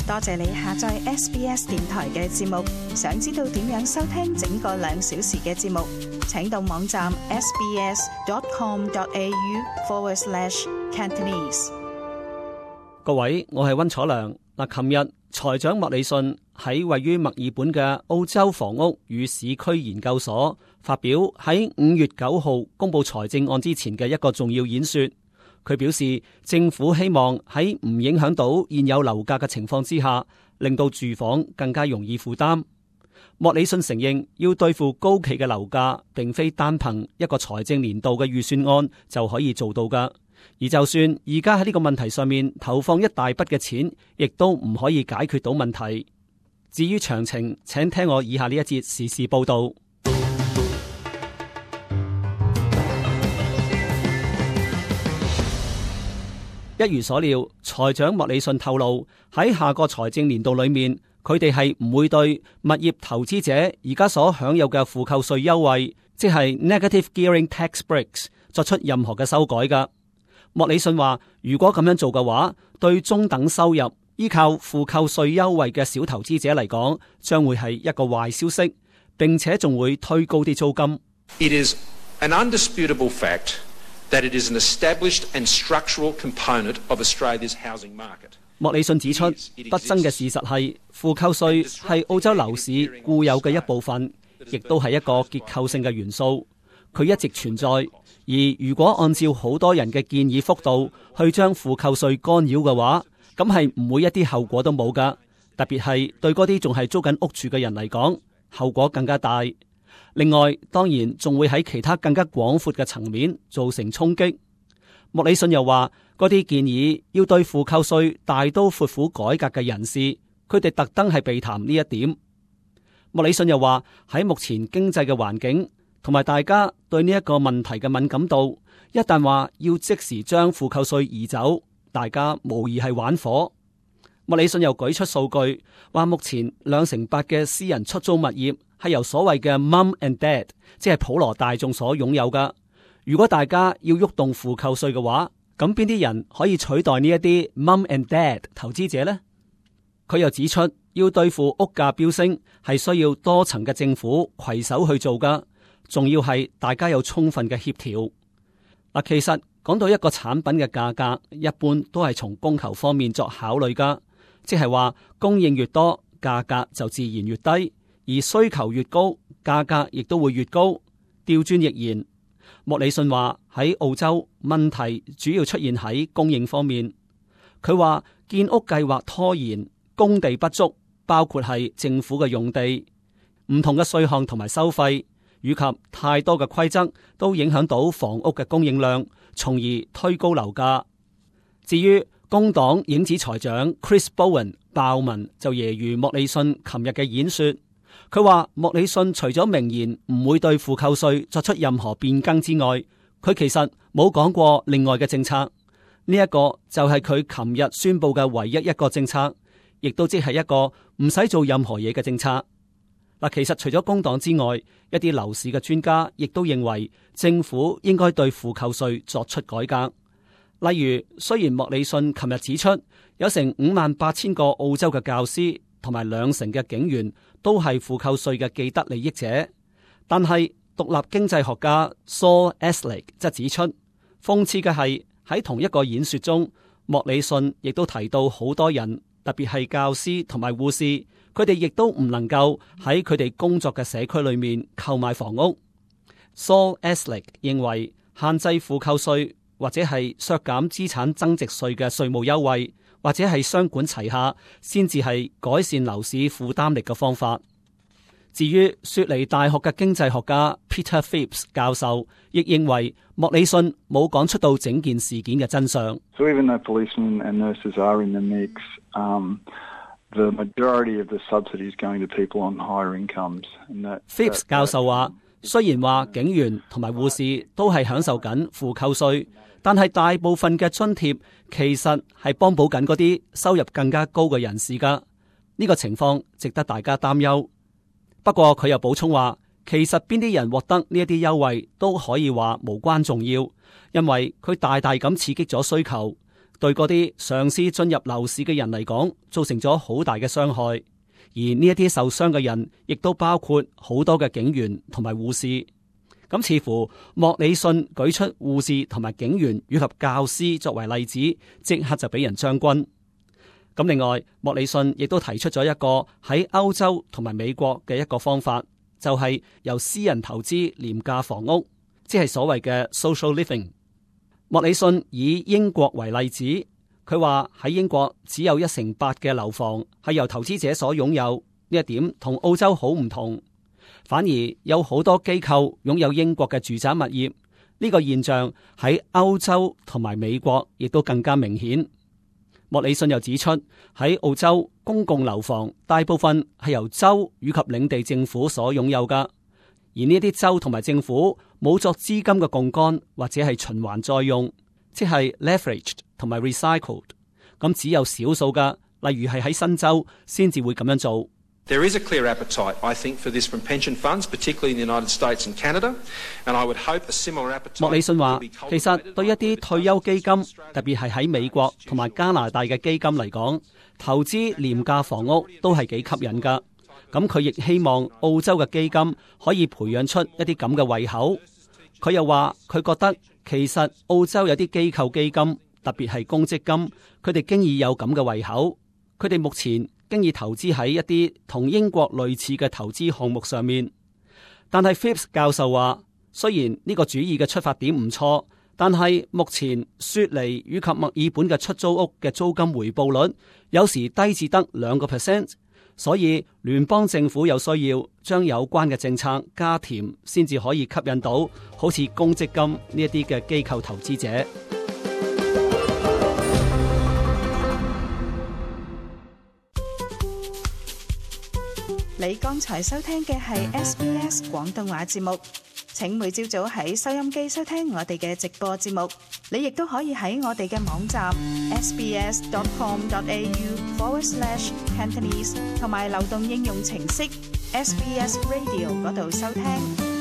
多謝你下載 SBS 電台嘅節目。想知道點樣收聽整個2小時嘅節目，請到網站 sbs.com.au/Cantonese。各位，我係溫楚良。琴日財長莫里遜喺位於墨爾本嘅澳洲房屋與市區研究所發表喺5月9號公布財政案之前嘅一個重要演說。佢表示，政府希望喺唔影響到現有樓價嘅情況之下，令到住房更加容易負擔。莫里遜承認，要對付高企嘅樓價，並非單憑一個財政年度嘅預算案就可以做到㗎。而就算而家喺呢個問題上面投放一大筆嘅錢，亦都唔可以解決到問題。至於詳情，請聽我以下呢一節時事報道。一如所料，財長莫里遜透露，喺下個財政年度裏面，佢哋係唔會對物業投資者而家所享有嘅負扣稅優惠，即係 Negative Gearing Tax Breaks 作出任何嘅修改㗎。莫里遜話，如果咁樣做嘅話，對中等收入依靠負扣稅優惠嘅小投資者嚟講，將會係一個壞消息，並且仲會推高啲租金。It is an undisputable fact that it is an established and structural component of Australia's housing market。莫里遜指出，不爭嘅事實係負扣稅係澳洲樓市固有嘅一部分，亦都係一個結構性嘅元素，佢一直存在。而如果按照好多人嘅建議幅度去將負扣稅干擾嘅話，咁係唔會一啲後果都冇噶。特別係對嗰啲仲係租緊屋住嘅人嚟講，後果更加大。另外，當然仲會喺其他更加廣闊嘅層面造成衝擊。莫里遜又話，嗰啲建議要對負扣稅大刀闊斧改革嘅人士，佢哋特登係避談呢一點。莫里遜又話，喺目前經濟嘅環境同埋大家對呢一個問題嘅敏感度，一旦話要即時將負扣稅移走，大家無疑係玩火。莫里遜又舉出數據，話目前8%嘅私人出租物業係由所謂嘅 Mum and Dad， 即係普羅大眾所擁有噶。如果大家要喐動負扣稅嘅話，咁邊啲人可以取代呢一啲 Mum and Dad 投資者呢？佢又指出，要對付屋價飆升，係需要多層嘅政府攜手去做噶。仲要係大家有充分嘅協調。嗱，其實講到一個產品嘅價格，一般都係從供求方面作考慮噶，即係話供應越多，價格就自然越低；而需求越高，價格亦都會越高。調轉亦然。莫里遜話喺澳洲問題主要出現喺供應方面。佢話建屋計劃拖延，供地不足，包括係政府嘅用地、唔同嘅稅項同埋收費，以及太多嘅規則都影響到房屋嘅供應量，從而推高樓價。至於工黨影子財長 Chris Bowen 鮑文就揶揄莫里遜琴日嘅演說，佢話莫里遜除咗明言唔會對負扣稅作出任何變更之外，佢其實冇講過另外嘅政策。呢一個就係佢琴日宣布嘅唯一一個政策，亦都即係一個唔使做任何嘢嘅政策。嗱，其實除咗工黨之外，一啲樓市嘅專家亦都認為政府應該對負扣稅作出改革。例如，雖然莫里遜琴日指出有成58,000個澳洲嘅教師同埋20%嘅警員都係負扣稅嘅既得利益者，但係獨立經濟學家 Saul Eslake 則指出，諷刺嘅係喺同一個演說中，莫里遜亦都提到好多人，特別係教師同埋護士，佢哋亦都唔能夠喺佢哋工作嘅社區裏面購買房屋。Saul Eslake 認為限制負扣稅或者係削減資產增值稅嘅稅務優惠，或者係雙管齊下，先至係改善樓市負擔力嘅方法。至於雪梨大學嘅經濟學家 Peter Phipps 教授，亦認為莫里遜冇講出到整件事件嘅真相。So even though policemen and nurses are in the mix, the majority of the subsidy is going to people on higher incomes. Phipps 教授話，雖然話警員同埋護士都係享受緊負扣稅，但係大部分嘅津貼其實係幫補緊嗰啲收入更加高嘅人士噶。呢個情況值得大家擔憂。不過佢又補充話，其實邊啲人獲得呢一啲優惠都可以話無關重要，因為佢大大咁刺激咗需求，對嗰啲嘗試進入樓市嘅人嚟講，造成咗好大嘅傷害。而呢一啲受傷嘅人，亦都包括好多嘅警員同埋護士。咁似乎莫里遜舉出護士同埋警員以及教師作為例子，即刻就俾人將軍。咁另外，莫里遜亦都提出咗一個喺歐洲同埋美國嘅一個方法，就係由私人投資廉價房屋，即係所謂嘅 social living。莫里遜以英國為例子，佢話喺英國只有1/8嘅樓房係由投資者所擁有，呢一點同澳洲好唔同。反而有好多機構擁有英國嘅住宅物業，呢個現象喺歐洲同埋美國亦都更加明顯。莫里遜又指出，喺澳洲公共樓房大部分係由州以及領地政府所擁有噶。而呢啲州同埋政府冇作資金嘅槓桿或者係循環再用，即係 leveraged 同埋 recycled。咁只有少數噶，例如係喺新州先至會咁樣做。There is a clear appetite, I think, for this from pension funds, particularly in the United States and Canada, and I would hope a similar appetite. 莫里遜話，其實對一啲退休基金，特別係喺美國同埋加拿大嘅基金嚟講，投資廉價房屋都係幾吸引噶。咁佢亦希望澳洲嘅基金可以培養出一啲咁嘅胃口。佢又話，佢覺得其實澳洲有啲機構基金，特別係公積金，佢哋經已有咁嘅胃口。佢哋目前經已投資喺一啲同英國類似嘅投資項目上面。但係 Phipps 教授話，雖然呢個主意嘅出發點唔錯，但係目前雪梨以及墨爾本嘅出租屋嘅租金回報率有時低至得2%。所以聯邦政府有需要將有關嘅政策加甜，先至可以吸引到好似公積金呢一啲嘅機構投資者。你剛才收聽嘅係 SBS 廣東話節目。請每朝早喺收音機收聽我哋嘅直播節目。你亦都可以喺我哋嘅網站 sbs.com.au/Cantonese 同埋流動應用程式 SBS Radio 嗰度收聽。